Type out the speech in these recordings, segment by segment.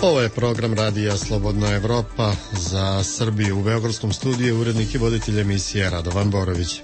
Ovo je program Radija Slobodna Evropa za Srbiju. U beogradskom studiju urednik i voditelj emisije Radovan Borović.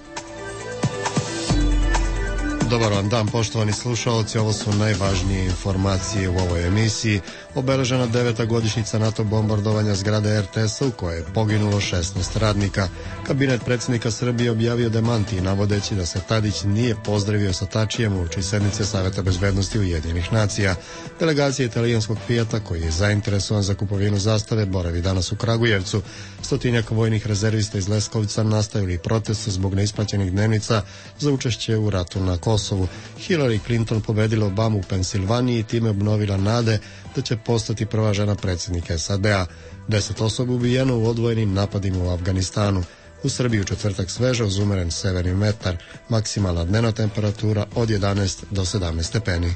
Dobar vam dan, poštovani slušaoci, ovo su najvažnije informacije u ovoj emisiji. Obeležena 9. godišnjica NATO bombardovanja zgrade RTS-a u kojoj je poginulo 16 radnika. Kabinet predsjednika Srbije objavio demanti navodeći da se Tadić nije pozdravio sa Tačijem uoči sednice Saveta bezbednosti Ujedinjenih nacija. Delegacija italijanskog Fijata, koji je zainteresovan za kupovinu zastave, boravi danas u Kragujevcu. Stotinjak vojnih rezervista iz Leskovca nastavili protest zbog neisplaćenih dnevnica za učešće u ratu na Kosovu. Hillary Clinton pobedila Obamu u Pensilvaniji i time obnovila nade da će postati prva žena predsjednika SAD-a. 10 osoba ubijeno u odvojenim napadima u Afganistanu. U Srbiji u četvrtak sveže uz umeren severni vetar, maksimalna dnevna temperatura od 11 do 17 stepeni.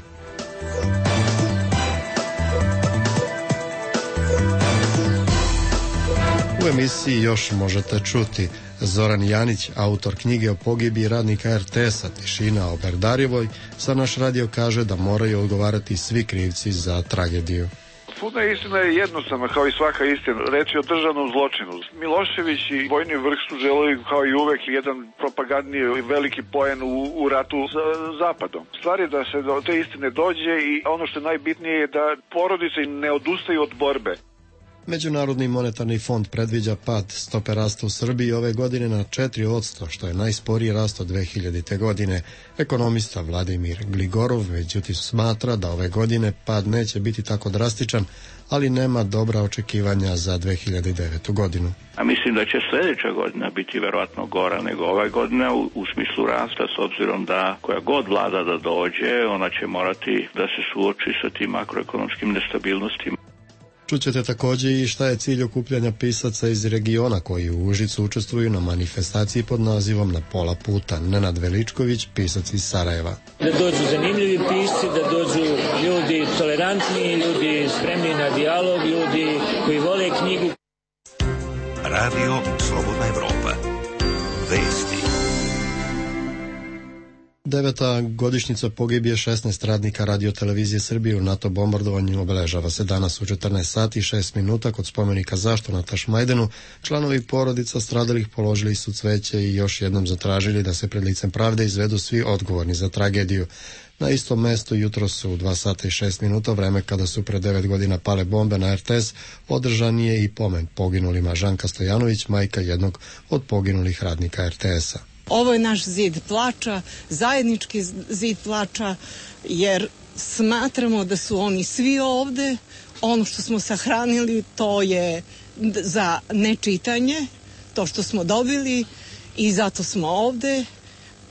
U emisiji još možete čuti Zoran Janić, autor knjige o pogibiji radnika RTS-a Tišina o Berdarjevoj, za naš radio kaže da moraju odgovarati svi krivci za tragediju. Puna istina je jednostavna, kao i svaka istina. Reč je o državnom zločinu. Milošević i vojni vrh su želeli, kao i uvek, jedan propagandni veliki poen u ratu sa Zapadom. Stvar je da se do te istine dođe i ono što je najbitnije je da porodice ne odustaju od borbe. Međunarodni monetarni fond predviđa pad stope rasta u Srbiji ove godine na 4%, što je najsporiji rast od 2000. godine. Ekonomista Vladimir Gligorov međutim smatra da ove godine pad neće biti tako drastičan, ali nema dobra očekivanja za 2009. godinu. A mislim da će sljedeća godina biti verovatno gora nego ova godina u smislu rasta, s obzirom da koja god vlada da dođe, ona će morati da se suoči sa tim makroekonomskim nestabilnostima. Čućete također i šta je cilj okupljanja pisaca iz regiona koji u Užicu učestvuju na manifestaciji pod nazivom Na pola puta. Nenad Veličković, pisac iz Sarajeva. Da dođu zanimljivi pisci, da dođu ljudi tolerantni, ljudi spremni na dijalog, ljudi koji vole knjigu. Radio Slobodna Evropa. Vesti. 9. godišnjica pogibije 16 radnika radiotelevizije Srbije u NATO bombardovanju obeležava se danas u 14 sati i 6 minuta kod spomenika Zašto na Tašmajdanu. Članovi porodica stradalih položili su cveće i još jednom zatražili da se pred licem pravde izvedu svi odgovorni za tragediju. Na istom mestu jutro su u 2 sata i 6 minuta, vreme kada su pre 9 godina pale bombe na RTS, održan je i pomen poginulima. Žanka Stojanović, majka jednog od poginulih radnika RTS-a. Ovo je naš zid plača, zajednički zid plača, jer smatramo da su oni svi ovde. Ono što smo sahranili, to je za nečitanje, to što smo dobili i zato smo ovde.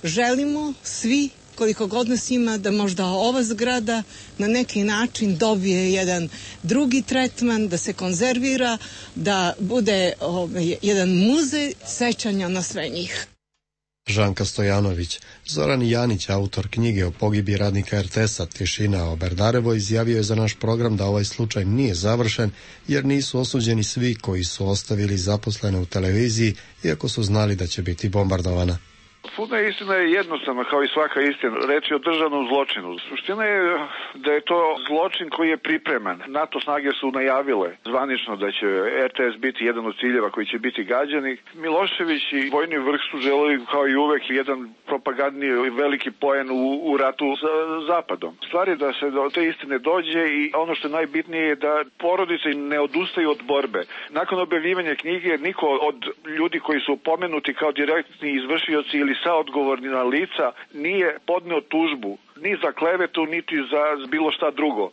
Želimo svi, koliko god nas ima, da možda ova zgrada na neki način dobije jedan drugi tretman, da se konzervira, da bude jedan muzej sećanja na sve njih. Žanka Stojanović. Zoran Janić, autor knjige o pogibiji radnika RTS-a Tišina o Berdarevoj, izjavio je za naš program da ovaj slučaj nije završen jer nisu osuđeni svi koji su ostavili zaposlene u televiziji iako su znali da će biti bombardovana. Puna istina je jednostavna, kao i svaka istina. Reč je o državnom zločinu. Suština je da je to zločin koji je pripreman. NATO snage su najavile zvanično da će RTS biti jedan od ciljeva koji će biti gađani. Milošević i vojni vrh su želeli, kao i uvek, jedan propagandni veliki poen u ratu sa Zapadom. Stvar je da se do te istine dođe i ono što je najbitnije je da porodice ne odustaju od borbe. Nakon objavljivanja knjige niko od ljudi koji su pomenuti kao direktni izvršioci ili saodgovorna lica nije podneo tužbu ni za klevetu, niti za bilo šta drugo.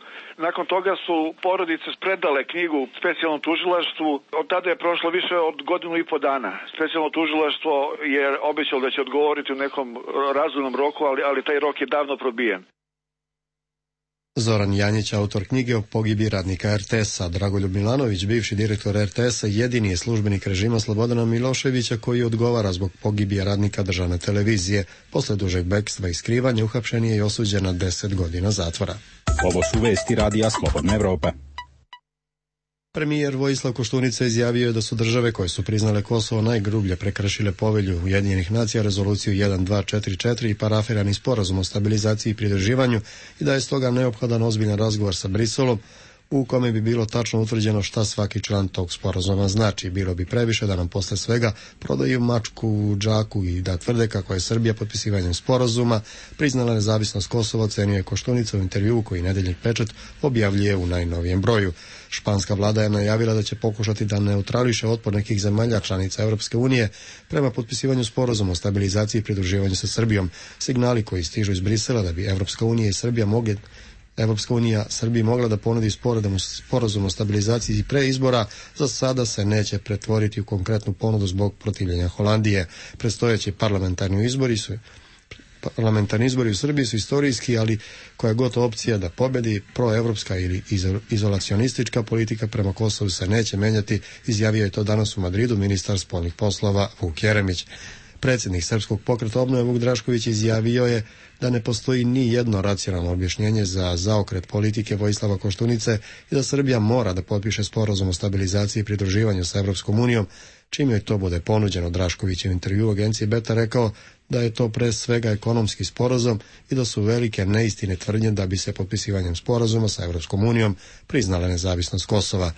Nakon toga su porodice predale knjigu specijalnom tužilaštvu. Od tada je prošlo više od 1.5 godina. Specijalno tužilaštvo je obećalo da će odgovoriti u nekom razumnom roku, ali taj rok je davno probijen. Zoran Janjić, autor knjige o pogibiji radnika RTS-a. Dragoljub Milanović, bivši direktor RTS-a, jedini je službenik režima Slobodana Miloševića koji odgovara zbog pogibije radnika državne televizije. Posle dužeg bekstva i skrivanja uhapšen je i osuđen na 10 godina zatvora. Ovo su vesti Radija Slobodna Evropa. Premijer Vojislav Koštunica izjavio je da su države koje su priznale Kosovo najgrublje prekršile povelju Ujedinjenih nacija, rezoluciju 1244 i parafirani sporazum o stabilizaciji i pridruživanju i da je stoga neophodan ozbiljan razgovor sa Briselom u kome bi bilo tačno utvrđeno šta svaki član tog sporazuma znači. Bilo bi previše da nam posle svega prodaju mačku u džaku i da tvrde kako je Srbija potpisivanjem sporazuma priznala nezavisnost Kosova, ocenio je Koštunica u intervjuu koji Nedeljnik Pečat objavljuje u najnovijem broju. Španska vlada je najavila da će pokušati da neutrališe otpor nekih zemalja članica Evropske unije prema potpisivanju sporazuma o stabilizaciji i pridruživanju sa Srbijom. Signali koji stižu iz Brisela da bi Evropska unija Srbiji mogla da ponudi sporazum o stabilizaciji pre izbora, za sada se neće pretvoriti u konkretnu ponudu zbog protivljenja Holandije. Predstojeći parlamentarni izbori u Srbiji su istorijski, ali koja god opcija da pobedi, proevropska ili izolacionistička politika prema Kosovu se neće menjati, izjavio je to danas u Madridu ministar spoljnih poslova Vuk Jeremić. Predsjednik Srpskog pokreta obnove Vuk Drašković izjavio je da ne postoji ni jedno racionalno objašnjenje za zaokret politike Vojislava Koštunice i da Srbija mora da potpiše sporazum o stabilizaciji i pridruživanju sa Evropskom unijom, čim joj to bude ponuđeno. Drašković je u intervju agenciji Beta rekao da je to pre svega ekonomski sporazum i da su velike neistine tvrdnje da bi se potpisivanjem sporazuma sa Evropskom unijom priznala nezavisnost Kosova.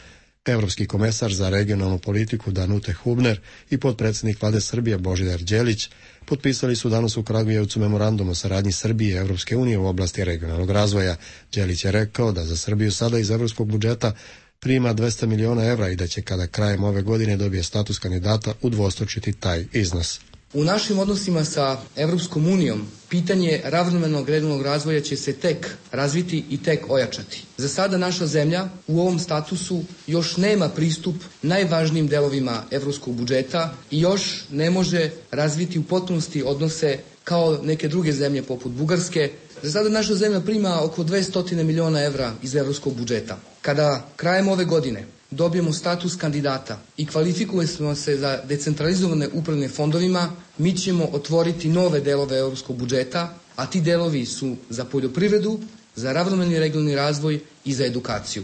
Evropski komesar za regionalnu politiku Danute Hubner i potpredsjednik vlade Srbije Božidar Đelić potpisali su danas u Kragujevcu memorandum o saradnji Srbije i Evropske unije u oblasti regionalnog razvoja. Đelić je rekao da za Srbiju sada iz evropskog budžeta prima 200 miliona evra i da će kada krajem ove godine dobije status kandidata udvostručiti taj iznos. U našim odnosima sa Evropskom unijom pitanje ravnomernog regionalnog razvoja će se tek razviti i tek ojačati. Za sada naša zemlja u ovom statusu još nema pristup najvažnijim delovima evropskog budžeta i još ne može razviti u potpunosti odnose kao neke druge zemlje poput Bugarske. Za sada naša zemlja prima oko 200 miliona evra iz evropskog budžeta. Kada krajem ove godine dobijemo status kandidata i kvalifikujemo se za decentralizovane upravljanje fondovima, mi ćemo otvoriti nove delove evropskog budžeta, a ti delovi su za poljoprivredu, za ravnomerni regionalni razvoj i za edukaciju.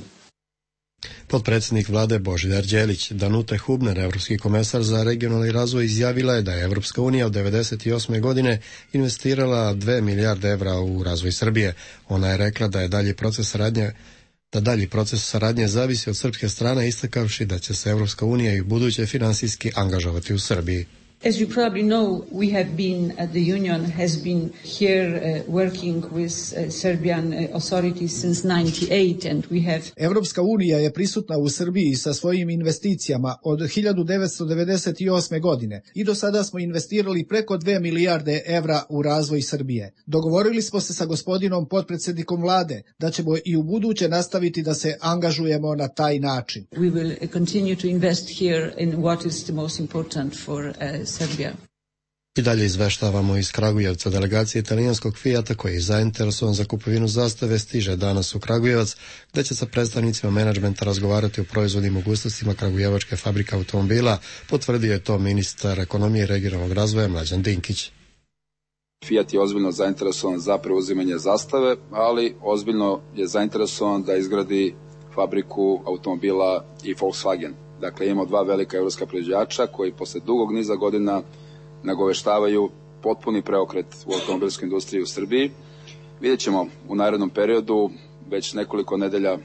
Potpredsjednik vlade Božidar Đelić. Danute Hubner, evropski komesar za regionalni razvoj, izjavila je da je Evropska unija od 1998. godine investirala 2 milijarde evra u razvoj Srbije. Ona je rekla da je dalji proces saradnje zavisi od srpske strane, istakavši da će se Evropska unija i buduće finansijski angažovati u Srbiji. As you probably know, we have been, the Union has been here working with Serbian authorities since 1998 and we have... Evropska unija je prisutna u Srbiji sa svojim investicijama od 1998. godine i do sada smo investirali preko 2 milijarde evra u razvoj Srbije. Dogovorili smo se sa gospodinom potpredsjednikom vlade da ćemo i u buduće nastaviti da se angažujemo na taj način. We will continue to invest here in what is the most important for Serbia. I dalje izveštavamo iz Kragujevca. Delegacija italijanskog Fijata koji je zainteresovan za kupovinu zastave stiže danas u Kragujevac, gde će sa predstavnicima menadžmenta razgovarati o proizvodnim mogućnostima kragujevačke fabrike automobila, potvrdio je to ministar ekonomije i regionalnog razvoja Mlađan Dinkić. Fiat je ozbiljno zainteresovan za preuzimanje zastave, ali ozbiljno je zainteresovan da izgradi fabriku automobila i Volkswagen. Dakle, imamo dva velika evropska proizvođača koji posle dugog niza godina nagoveštavaju potpuni preokret u automobilskoj industriji u Srbiji. Vidjet ćemo u narednom periodu, već nekoliko nedelja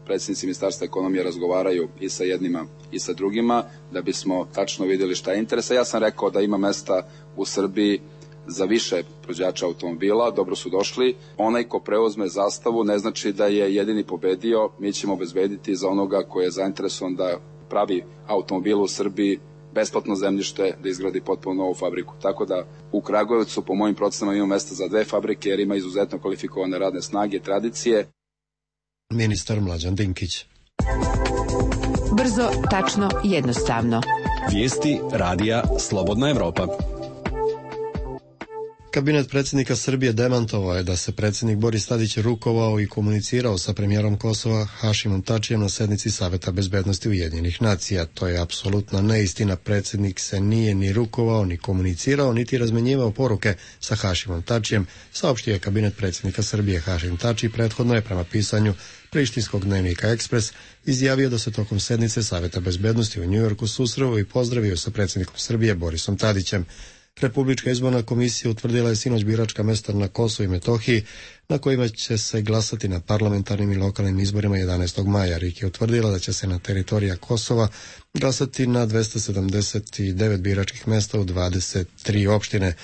predsjednici Ministarstva ekonomije razgovaraju i sa jednima i sa drugima, da bismo tačno vidjeli šta je interesa. Ja sam rekao da ima mesta u Srbiji za više proizvođača automobila, dobro su došli. Onaj ko preuzme zastavu ne znači da je jedini pobedio, mi ćemo obezbediti za onoga koji je zainteresovan da pravi automobil u Srbiji besplatno zemljište da izgradi potpuno novu fabriku. Tako da u Kragujevcu po mojim procenama ima mesta za 2 fabrike jer ima izuzetno kvalifikovane radne snage, tradicije. Ministar Mlađan Dinkić. Brzo, tačno, jednostavno. Vijesti radija Slobodna Evropa. Kabinet predsjednika Srbije demantovao je da se predsjednik Boris Tadić rukovao i komunicirao sa premijerom Kosova Hašimom Tačijem na sednici Saveta bezbednosti Ujedinjenih nacija. To je apsolutna neistina. Predsjednik se nije ni rukovao, ni komunicirao, niti razmenjivao poruke sa Hašimom Tačijem, saopštio je kabinet predsjednika Srbije. Hašim Tači prethodno je prema pisanju prištinskog dnevnika Ekspres izjavio da se tokom sednice Saveta bezbednosti u Njujorku susreo i pozdravio sa predsjednikom Srbije Borisom Tadićem. Republička izborna komisija utvrdila je sinoć biračka mesta na Kosovu i Metohiji, na kojima će se glasati na parlamentarnim i lokalnim izborima 11. maja. RIK je utvrdila da će se na teritorija Kosova glasati na 279 biračkih mesta u 23 opštine.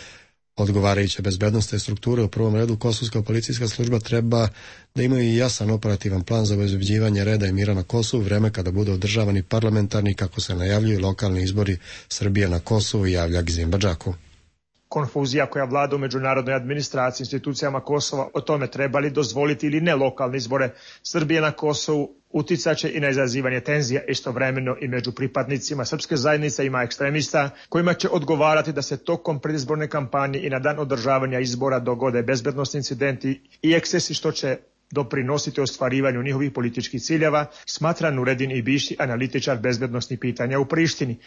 Odgovarajuće bezbednostne strukture, u prvom redu Kosovska policijska služba, treba da imaju jasan operativan plan za obezbeđivanje reda i mira na Kosovu, vreme kada budu održavani parlamentarni, kako se najavljuju, lokalni izbori Srbije na Kosovu, javlja Gzim Badžaku. Konfuzija koja vlada u međunarodnoj administraciji, institucijama Kosova o tome trebali dozvoliti ili ne lokalne izbore Srbije na Kosovu uticaće i na izazivanje tenzija, istovremeno i među pripadnicima srpske zajednice ima ekstremista kojima će odgovarati da se tokom predizborne kampanje i na dan održavanja izbora dogode bezbednosni incidenti i ekscesi, što će doprinositi ostvarivanju njihovih političkih ciljeva, smatra Nuredin Ibiši, analitičar bezbednosnih pitanja u Prištini.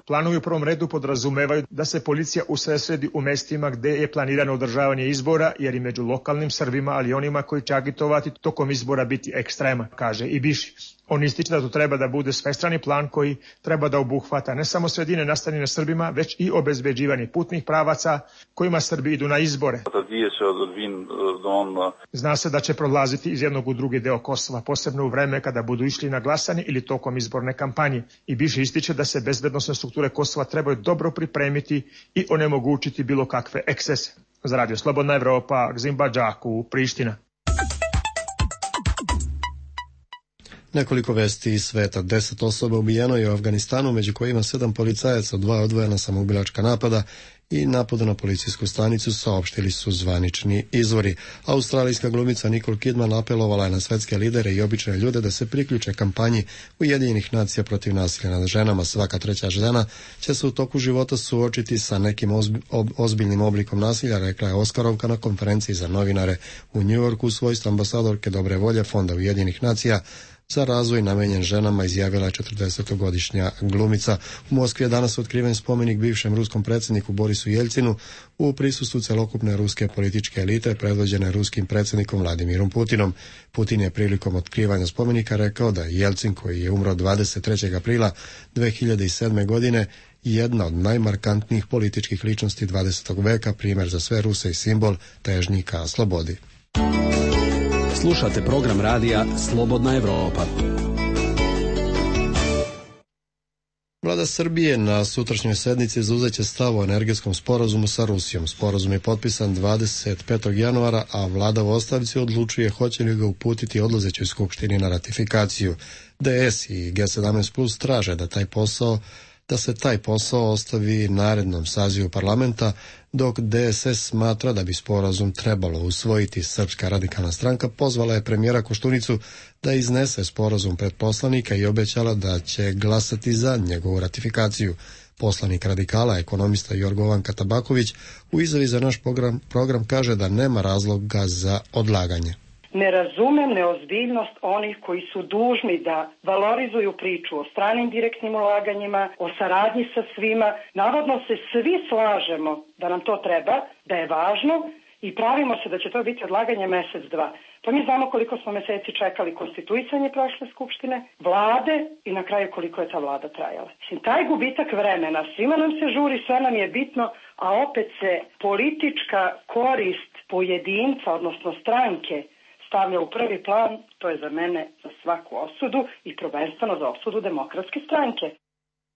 Planovi u prvom redu podrazumevaju da se policija usredsredi u mestima gde je planirano održavanje izbora, jer i među lokalnim Srbima, ali onima koji će agitovati tokom izbora biti ekstrema, kaže Ibiši. On ističe da to treba da bude svestrani plan koji treba da obuhvata ne samo sredine nastanjene Srbima, već i obezbeđivanje putnih pravaca kojima Srbi idu na izbore. Zna se da će prolaziti iz jednog u drugi deo Kosova, posebno u vreme kada budu išli na glasanje ili tokom izborne kampanje. I Biši ističe da se bezbednosne strukture Kosova trebaju dobro pripremiti i onemogućiti bilo kakve ekscese. Za Radio Slobodna Evropa, Gzim Badžaku, Priština. Nekoliko vesti iz sveta. 10 osoba ubijeno je u Afganistanu, među kojima 7 policajaca, 2 odvojena samoubilačka napada i napada na policijsku stanicu, saopštili su zvanični izvori. Australijska glumica Nicole Kidman apelovala je na svetske lidere i obične ljude da se priključe kampanji Ujedinjenih nacija protiv nasilja nad ženama. Svaka treća žena će se u toku života suočiti sa nekim ozbiljnim oblikom nasilja, rekla je Oskarovka na konferenciji za novinare u Njujorku u svojstvu ambasadorke dobre volje Fonda Ujedinjenih nacija za razvoj namenjen ženama, izjavila je 40-godišnja glumica. U Moskvi je danas otkriven spomenik bivšem ruskom predsjedniku Borisu Jeljcinu u prisustvu celokupne ruske političke elite predvođene ruskim predsjednikom Vladimirom Putinom. Putin je prilikom otkrivanja spomenika rekao da je Jeljcin, koji je umro 23. aprila 2007. godine, jedna od najmarkantnijih političkih ličnosti 20. veka, primjer za sve Ruse i simbol težnji ka slobodi. Slušate program radija Slobodna Evropa. Vlada Srbije na sutrašnjoj sednici zauzeće stav o energetskom sporazumu sa Rusijom. Sporazum je potpisan 25. januara, a vlada u ostavci odlučuje hoće li ga uputiti odlazećoj skupštini na ratifikaciju. DS i G17 Plus traže da se taj posao ostavi narednom sazivu parlamenta, dok DSS smatra da bi sporazum trebalo usvojiti. Srpska radikalna stranka pozvala je premijera Koštunicu da iznese sporazum pred poslanika i obećala da će glasati za njegovu ratifikaciju. Poslanik radikala, ekonomista Jorgovanka Tabaković, u izjavi za naš program kaže da nema razloga za odlaganje. Ne razumem neozbiljnost onih koji su dužni da valorizuju priču o stranim direktnim ulaganjima, o saradnji sa svima. Navodno se svi slažemo da nam to treba, da je važno i pravimo se da će to biti odlaganje mesec, dva. Pa mi znamo koliko smo meseci čekali konstituisanje prošle skupštine, vlade i na kraju koliko je ta vlada trajala. Taj gubitak vremena, svima nam se žuri, sve nam je bitno, a opet se politička korist pojedinca, odnosno stranke, stavlja u prvi plan. To je za mene za svaku osudu i prvenstveno za osudu Demokratske stranke.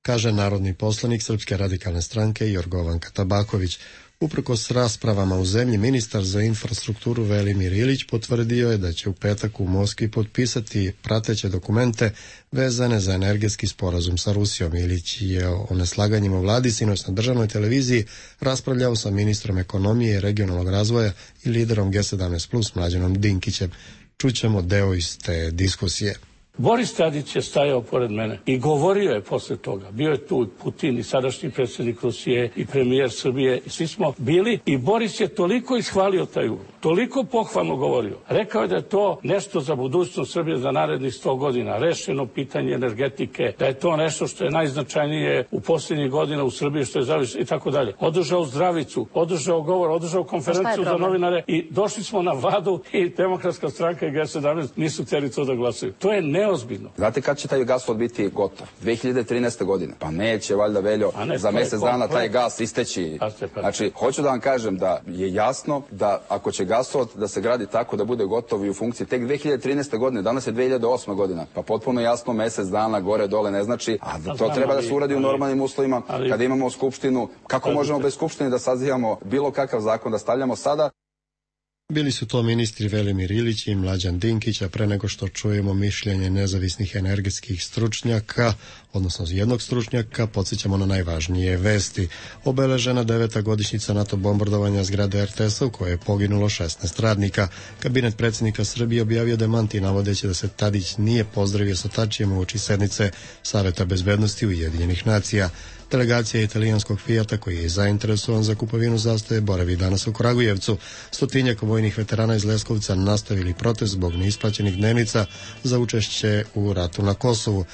Kaže narodni poslanik Srpske radikalne stranke Jorgovanka Tabaković. Uprkos raspravama u zemlji, ministar za infrastrukturu Velimir Ilić potvrdio je da će u petak u Moskvi potpisati prateće dokumente vezane za energetski sporazum sa Rusijom. Ilić je o neslaganjima u vladi sinoć na državnoj televiziji raspravljao sa ministrom ekonomije i regionalnog razvoja i liderom G17 Plus Mlađanom Dinkićem. Čućemo deo iz te diskusije. Boris Tadić je stajao pored mene i govorio je posle toga. Bio je tu Putin i sadašnji predsjednik Rusije i premijer Srbije i svi smo bili i Boris je toliko ishvalio taj ugovor. toliko pohvalno govorio. Rekao je da je to nešto za budućnost Srbije za narednih 100 godina, rešeno pitanje energetike, da je to nešto što je najznačajnije u posljednjih godina u Srbiji, što je zavisno i tako dalje. Održao zdravicu, održao govor, održao konferenciju za novinare i došli smo na vladu i Demokratska stranka i G17 nisu htjeli to da glasaju. To je neozbiljno. Znate kad će taj gasovod biti gotov? 2013. godine. Pa neće, valjda, Veljo, za mjesec dana taj gas isteći. Znači, hoću da vam kažem da je jasno da ako će gasovod da se gradi tako da bude gotov i u funkciji tek 2013. godine, danas je 2008. godina, pa potpuno jasno mjesec dana gore dole ne znači, a da to treba da se uradi u normalnim uslovima, kada imamo skupštinu. Kako možemo bez skupštine da sazivamo bilo kakav zakon da stavljamo sada? Bili su to ministri Velimir Ilić i Mlađan Dinkić, a pre nego što čujemo mišljenje nezavisnih energetskih stručnjaka, odnosno jednog stručnjaka, podsjećamo na najvažnije vesti. Obeležena 9. godišnjica NATO bombardovanja zgrade RTS-a u kojoj je poginulo 16 radnika. Kabinet predsjednika Srbije objavio demanti navodeći da se Tadić nije pozdravio sa Tačijem uoči sednice Saveta bezbednosti Ujedinjenih nacija. Delegacija italijanskog Fijata, koji je zainteresovan za kupovinu zastave, boravi danas u Kragujevcu. Stotinjak vojnih veterana iz Leskovca nastavili protest zbog neisplaćenih dnevnica za učešće u ratu na Kosovu.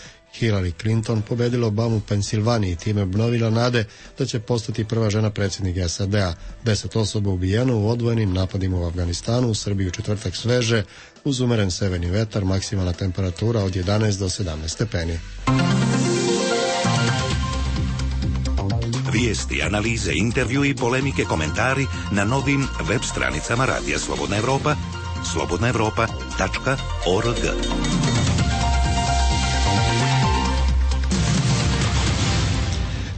Hillary Clinton pobedila Obamu u Pensilvaniji i time obnovila nade da će postati prva žena predsjednika SAD-a. 10 osoba ubijeno u odvojenim napadima u Afganistanu, u Srbiji u četvrtak sveže, uz umeren severni vetar, maksimalna temperatura od 11 do 17 stepeni. Vijesti, analize, intervju i polemike, komentari na novim web stranicama Radija Slobodna Evropa, slobodnaevropa.org.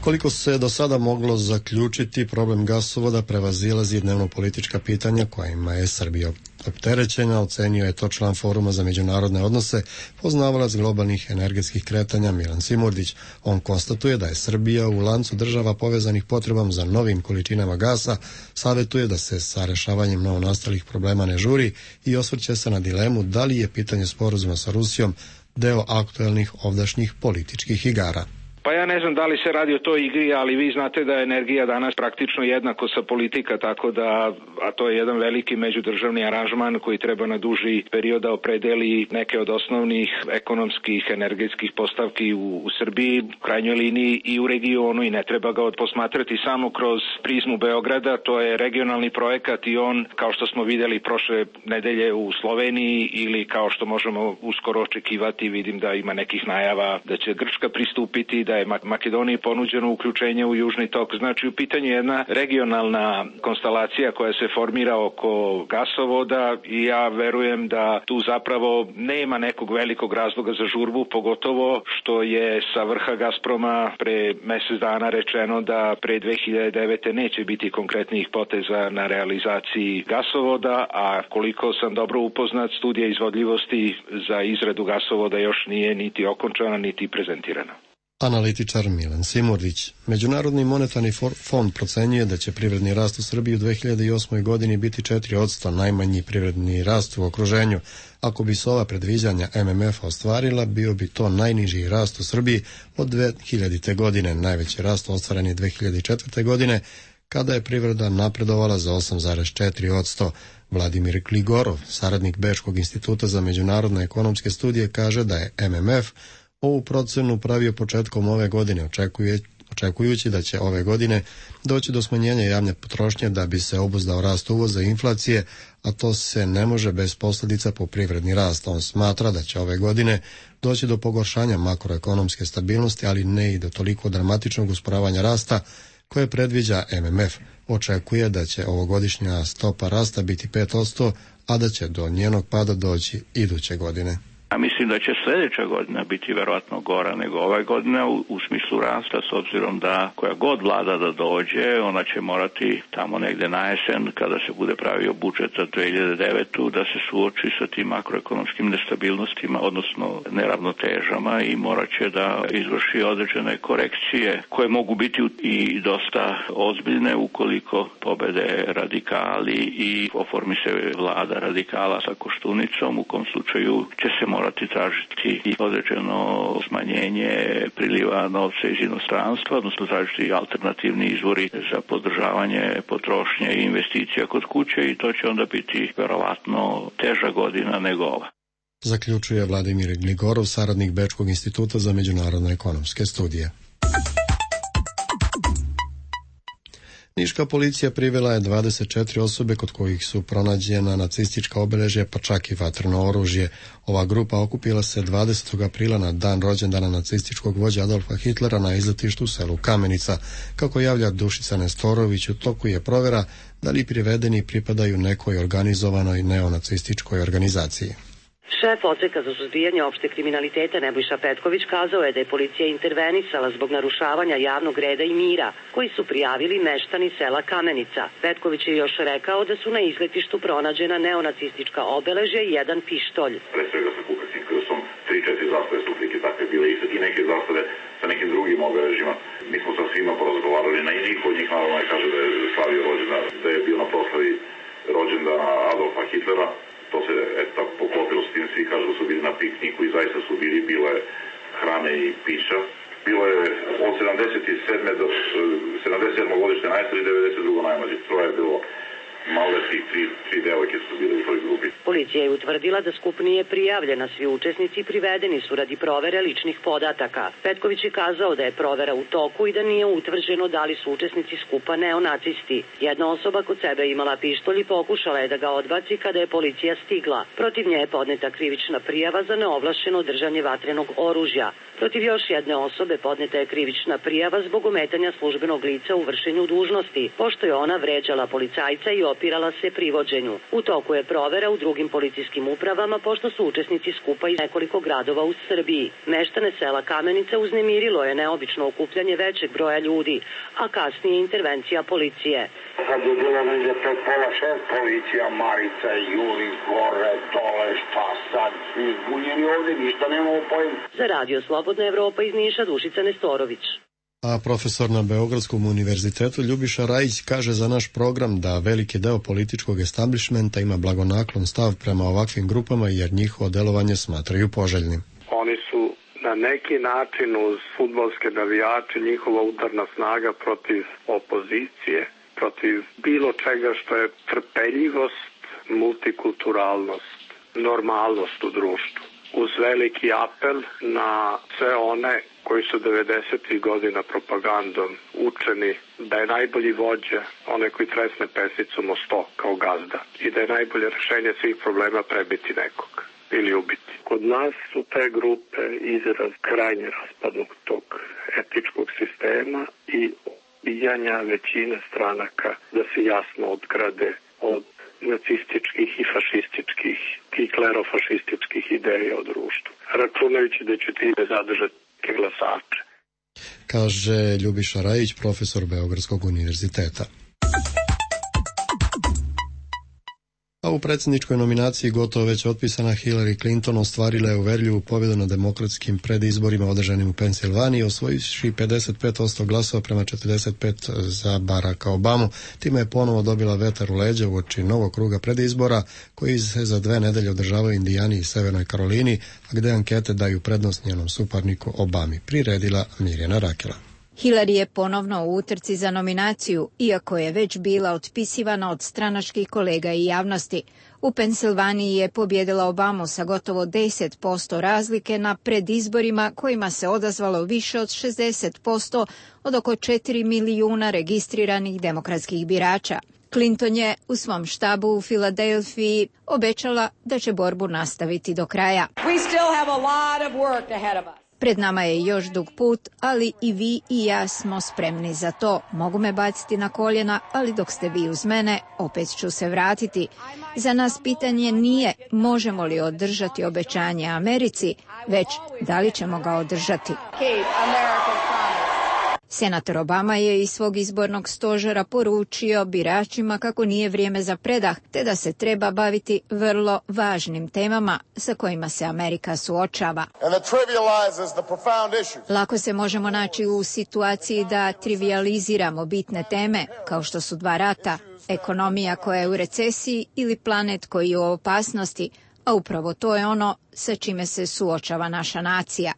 Koliko se do sada moglo zaključiti, problem gasovoda prevazilazi dnevno politička pitanja kojima je Srbija opterećena, ocenio je to član Foruma za međunarodne odnose, poznavalac globalnih energetskih kretanja Milan Simurdić. On konstatuje da je Srbija u lancu država povezanih potrebom za novim količinama gasa, savjetuje da se sa rešavanjem novonastalih problema ne žuri i osvrće se na dilemu da li je pitanje sporazuma sa Rusijom deo aktuelnih ovdašnjih političkih igara. Pa ja ne znam da li se radi o toj igri, ali vi znate da je energija danas praktično jednako sa politika, tako da, a to je jedan veliki međudržavni aranžman koji treba na duži period da opredeli neke od osnovnih ekonomskih, energetskih postavki u Srbiji, u krajnjoj liniji i u regionu, i ne treba ga posmatrati samo kroz prizmu Beograda. To je regionalni projekat i on, kao što smo videli prošle nedelje u Sloveniji, ili kao što možemo uskoro očekivati, vidim da ima nekih najava da će Grčka pristupiti, da je Makedoniji ponuđeno uključenje u Južni tok. Znači, u pitanju je jedna regionalna konstelacija koja se formira oko gasovoda i ja verujem da tu zapravo nema nekog velikog razloga za žurbu, pogotovo što je sa vrha Gazproma pre mjesec dana rečeno da pre 2009. neće biti konkretnih poteza na realizaciji gasovoda, a koliko sam dobro upoznat, studija izvodljivosti za izradu gasovoda još nije niti okončana, niti prezentirana. Analitičar Milan Simurdić. Međunarodni monetarni fond procenjuje da će privredni rast u Srbiji u 2008. godini biti 4%, najmanji privredni rast u okruženju. Ako bi se ova predviđanja MMF ostvarila, bio bi to najniži rast u Srbiji od 2000. godine. Najveći rast ostvaren je 2004. godine, kada je privreda napredovala za 8,4%. Vladimir Gligorov, saradnik Bečkog instituta za međunarodne ekonomske studije, kaže da je MMF ovu procenu pravio početkom ove godine, očekujući da će ove godine doći do smanjenja javne potrošnje da bi se obuzdao rast uvoza i inflacije, a to se ne može bez posljedica po privredni rast. On smatra da će ove godine doći do pogoršanja makroekonomske stabilnosti, ali ne i do toliko dramatičnog usporavanja rasta koje predviđa MMF. Očekuje da će ovogodišnja stopa rasta biti 5%, a da će do njenog pada doći iduće godine. A mislim da će sljedeća godina biti verovatno gora nego ova godina u smislu rasta, s obzirom da koja god vlada da dođe, ona će morati tamo negde na jesen, kada se bude pravio budžet za 2009. da se suoči sa tim makroekonomskim nestabilnostima, odnosno neravnotežama, i morat će da izvrši određene korekcije koje mogu biti i dosta ozbiljne ukoliko pobede radikali i oformi se vlada radikala sa Koštunicom, u kom slučaju će se morati tražiti i određeno smanjenje priliva novca iz inostranstva, odnosno tražiti alternativni izvori za podržavanje potrošnje i investicija kod kuće i to će onda biti verovatno teža godina nego ova. Zaključuje Vladimir Gligorov, saradnik Bečkog instituta za međunarodne ekonomske studije. Niška policija privela je 24 osobe kod kojih su pronađena nacistička obeležja pa čak i vatreno oružje. Ova grupa okupila se 20. aprila na dan rođendana nacističkog vođa Adolfa Hitlera na izletištu u selu Kamenica. Kako javlja Dušica Nestorović, u toku je provjera da li privedeni pripadaju nekoj organizovanoj neonacističkoj organizaciji. Šef odseka za suzbijanje opšteg kriminaliteta Nebojša Petković kazao je da je policija intervenisala zbog narušavanja javnog reda i mira, koji su prijavili meštani sela Kamenica. Petković je još rekao da su na izletištu pronađena neonacistička obeležja i jedan pištolj. Pre svega sa kukacim krsom, 3-4 zastave su slike takve bile i neke zastave sa nekim drugim obeležjima. Mi smo sa svima porazgovarali, na niko od njih naravno kaže da je slavio rođendan, da je bio na proslavi rođendana Adolfa Hitlera. To se tako poklopilo s tim, svi kažu da su bili na pikniku i zaista su bile hrane i pića. Bilo je od 77. do 77. godište najstariji, 92. najmlađi. Troje je bilo maloljetnih, tri devojke su bile u toj grupi. Policija je utvrdila da skup nije prijavljen, a svi učesnici privedeni su radi provere ličnih podataka. Petković je kazao da je provera u toku i da nije utvrđeno da li su učesnici skupa neonacisti. Jedna osoba kod sebe imala pištolj i pokušala je da ga odbaci kada je policija stigla. Protiv nje je podneta krivična prijava za neovlašćeno držanje vatrenog oružja. Protiv još jedne osobe podneta je krivična prijava zbog ometanja službenog lica u vršenju dužnosti, pošto je ona vređala policajca i opirala se privođenju. U toku je provera u drugim policijskim upravama, pošto su učesnici skupa iz nekoliko gradova u Srbiji. Meštane sela Kamenica uznemirilo je neobično okupljanje većeg broja ljudi, a kasnije intervencija policije. Kad je bilo negdje pred pola 6, policija, Marica, Juli, gore, dole, šta sad, svi zbunjeni ovdje, ništa nemamo pojma. Za Radio Slobodna Evropa iz Niša, Dušica Nestorović. A profesor na Beogradskom univerzitetu Ljubiša Rajić kaže za naš program da veliki deo političkog establishmenta ima blagonaklon stav prema ovakvim grupama jer njihovo delovanje smatraju poželjnim. Oni su na neki način uz fudbalske navijače njihova udarna snaga protiv opozicije, protiv bilo čega što je trpeljivost, multikulturalnost, normalnost u društvu. Uz veliki apel na sve one koji su 90. godina propagandom učeni da je najbolji vođa onaj koji tresne pesicom o 100 kao gazda i da je najbolje rešenje svih problema prebiti nekog ili ubiti. Kod nas su te grupe izraz krajnje raspadnog tog etičkog sistema i ubijanja većine stranaka da se jasno odgrade od nacističkih i fašističkih i klerofašističkih ideja o društvu, računajući da će time zadržati glasače. Kaže Ljubiša Rajić, profesor Beogradskog univerziteta. A u predsjedničkoj nominaciji gotovo već otpisana Hillary Clinton ostvarila je uverljivu pobjedu na demokratskim predizborima održanim u Pensilvaniji, osvojivši 55% glasova prema 45% za Baracka Obamu. Time je ponovo dobila vetar u leđa uoči novog kruga predizbora koji se za 2 nedelje održavaju u Indijani i Severnoj Karolini, a gde ankete daju prednost njenom suparniku Obami, priredila Mirjana Rakela. Hillary je ponovno u utrci za nominaciju, iako je već bila otpisivana od stranačkih kolega i javnosti. U Pensilvaniji je pobjedila Obamu sa gotovo 10% razlike na predizborima kojima se odazvalo više od 60% od oko 4 milijuna registriranih demokratskih birača. Clinton je u svom štabu u Filadelfiji obećala da će borbu nastaviti do kraja. We still have a lot of work ahead of us. Pred nama je još dug put, ali i vi i ja smo spremni za to. Mogu me baciti na koljena, ali dok ste vi uz mene, opet ću se vratiti. Za nas pitanje nije možemo li održati obećanje Americi, već da li ćemo ga održati. Senator Obama je iz svog izbornog stožera poručio biračima kako nije vrijeme za predah, te da se treba baviti vrlo važnim temama sa kojima se Amerika suočava. Lako se možemo naći u situaciji da trivializiramo bitne teme, kao što su 2 rata, ekonomija koja je u recesiji ili planet koji je u opasnosti, a upravo to je ono sa čime se suočava naša nacija.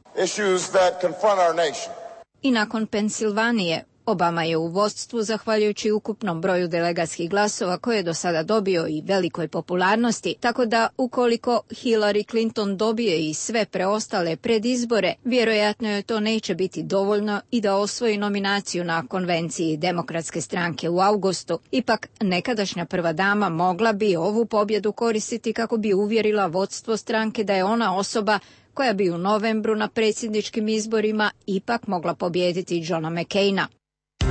I nakon Pensilvanije, Obama je u vodstvu zahvaljujući ukupnom broju delegatskih glasova koje je do sada dobio i velikoj popularnosti, tako da ukoliko Hillary Clinton dobije i sve preostale predizbore, vjerojatno joj to neće biti dovoljno i da osvoji nominaciju na konvenciji Demokratske stranke u avgustu. Ipak, nekadašnja prva dama mogla bi ovu pobjedu koristiti kako bi uvjerila vodstvo stranke da je ona osoba koja bi u novembru na predsjedničkim izborima ipak mogla pobijediti Johna McCaina.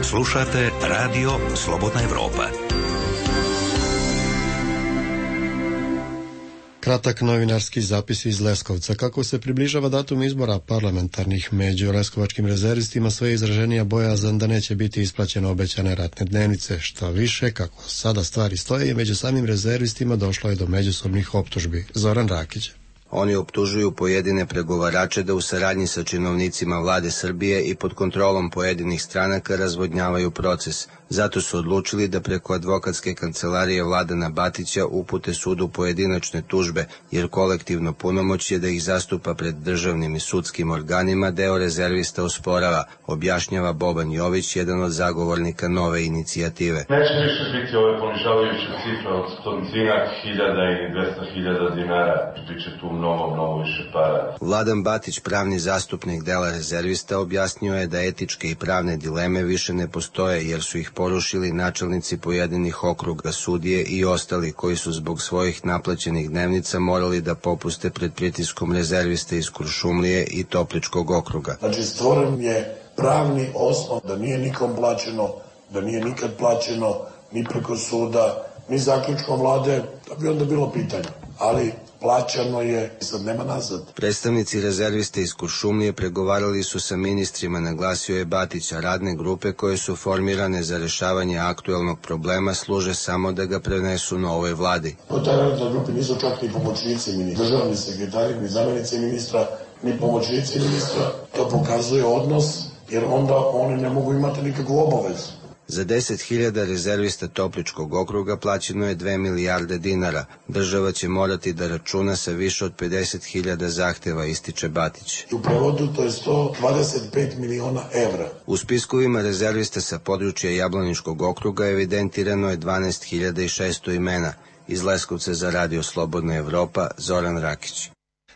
Slušate Radio Slobodna Evropa. Kratak novinarski zapis iz Leskovca. Kako se približava datum izbora parlamentarnih, među leskovačkim rezervistima sve izraženija bojazan da neće biti isplaćene obećane ratne dnevnice. Što više, kako sada stvari stoje, među samim rezervistima došlo je do međusobnih optužbi. Zoran Rakić. Oni optužuju pojedine pregovarače da u saradnji sa činovnicima vlade Srbije i pod kontrolom pojedinih stranaka razvodnjavaju proces. Zato su odlučili da preko advokatske kancelarije Vladana Batića upute sudu pojedinačne tužbe, jer kolektivno punomoćje da ih zastupa pred državnim i sudskim organima deo rezervista osporava, objašnjava Boban Jović, jedan od zagovornika nove inicijative. Neće više biti ove ponižavajuće cifre od 100.000 i 200.000 dinara, biće tu mnogo više para. Vladan Batić, pravni zastupnik dela rezervista, objasnio je da etičke i pravne dileme više ne postoje, jer su ih porušili načelnici pojedinih okruga, sudije i ostali koji su zbog svojih naplaćenih dnevnica morali da popuste pred pritiskom rezerviste iz Kuršumlije i Topličkog okruga. Znači, stvoren je pravni osnov da nije nikom plaćeno, da nije nikad plaćeno ni preko suda, ni zaključkom vlade, da bi onda bilo pitanje. Ali plaćano je, sad nema nazad. Predstavnici rezerviste iz Kuršumlije pregovarali su sa ministrima, naglasio je Batića. Radne grupe koje su formirane za rešavanje aktuelnog problema služe samo da ga prenesu novoj vladi. U taj radnoj grupi nisu čak ni pomoćnici ministra, državni sekretari, ni zamjenici ministra, ni pomoćnici ministra. To pokazuje odnos, jer onda oni ne mogu imati nikakvu obavezu. Za 10.000 rezervista Topličkog okruga plaćeno je 2 milijarde dinara. Država će morati da računa sa više od 50.000 zahteva, ističe Batić. U prevodu to je 125 miliona evra. U spiskovima rezervista sa područja Jablaničkog okruga evidentirano je 12.600 imena. Iz Leskovca za Radio Slobodna Evropa, Zoran Rakić.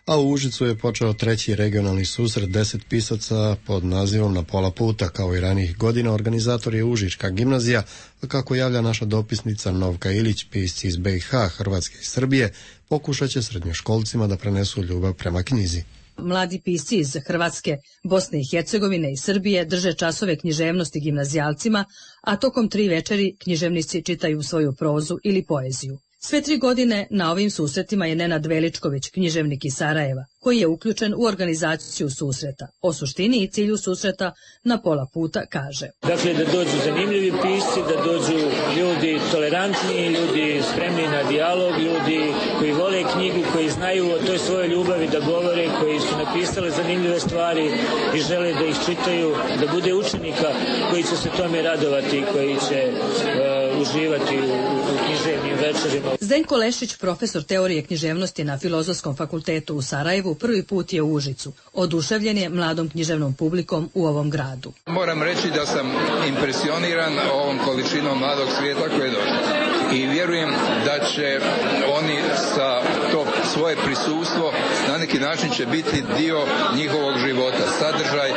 A u Užicu je počeo treći regionalni susret 10 pisaca pod nazivom Na pola puta. Kao i ranijih godina, organizator je Užička gimnazija, a kako javlja naša dopisnica Novka Ilić, pisci iz BiH, Hrvatske i Srbije pokušat će srednjoškolcima da prenesu ljubav prema knjizi. Mladi pisci iz Hrvatske, Bosne i Hercegovine i Srbije drže časove književnosti gimnazijalcima, a tokom 3 večeri književnici čitaju svoju prozu ili poeziju. Sve 3 godine na ovim susretima je Nenad Veličković, književnik iz Sarajeva, koji je uključen u organizaciju susreta. O suštini i cilju susreta Na pola puta kaže. Dakle, da dođu zanimljivi pisci, da dođu ljudi tolerantni, ljudi spremni na dijalog, ljudi koji vole knjigu, koji znaju o toj svojoj ljubavi da govore, koji su napisali zanimljive stvari i žele da ih čitaju, da bude učenika koji će se tome radovati, koji će uživati u književnim večerima. Zdenko Lešić, profesor teorije književnosti na Filozofskom fakultetu u Sarajevu, prvi put je u Užicu. Oduševljen je mladom književnom publikom u ovom gradu. Moram reći da sam impresioniran ovom količinom mladog svijeta koje je došlo. I vjerujem da će oni sa to svoje prisustvo na neki način će biti dio njihovog života, sadržaj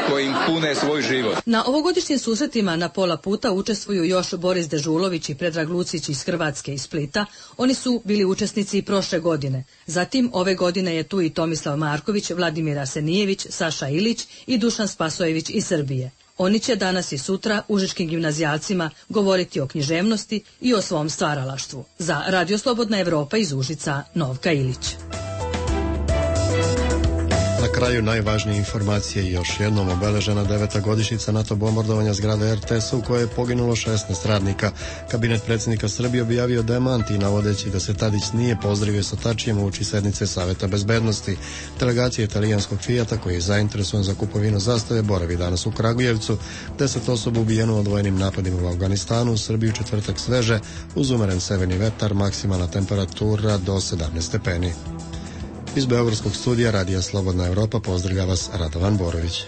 koji im pune svoj život. Na ovogodišnjim susretima Na pola puta učestvuju još Boris Dežulović i Predrag Lucić iz Hrvatske i Splita. Oni su bili učesnici i prošle godine. Zatim ove godine je tu i Tomislav Marković, Vladimir Arsenijević, Saša Ilić i Dušan Spasojević iz Srbije. Oni će danas i sutra užičkim gimnazijalcima govoriti o književnosti i o svom stvaralaštvu. Za Radio Slobodna Evropa iz Užica, Novka Ilić. Na kraju najvažnije informacije još jednom obeležena 9. godišnjica NATO bombardovanja zgrade RTS-a u kojoj je poginulo 16 radnika. Kabinet predsjednika Srbije objavio demanti navodeći da se Tadić nije pozdravio sa Tačijem uoči sednice Saveta bezbednosti. Delegacija italijanskog Fijata koji je zainteresovan za kupovinu zastave boravi danas u Kragujevcu. 10 osoba ubijeno u odvojenim napadima u Afganistanu, u Srbiji četvrtak sveže uz umeren severni vetar, maksimalna temperatura do 17 stepeni. Iz Beogradskog studija Radija Slobodna Evropa pozdravlja vas Radovan Borović.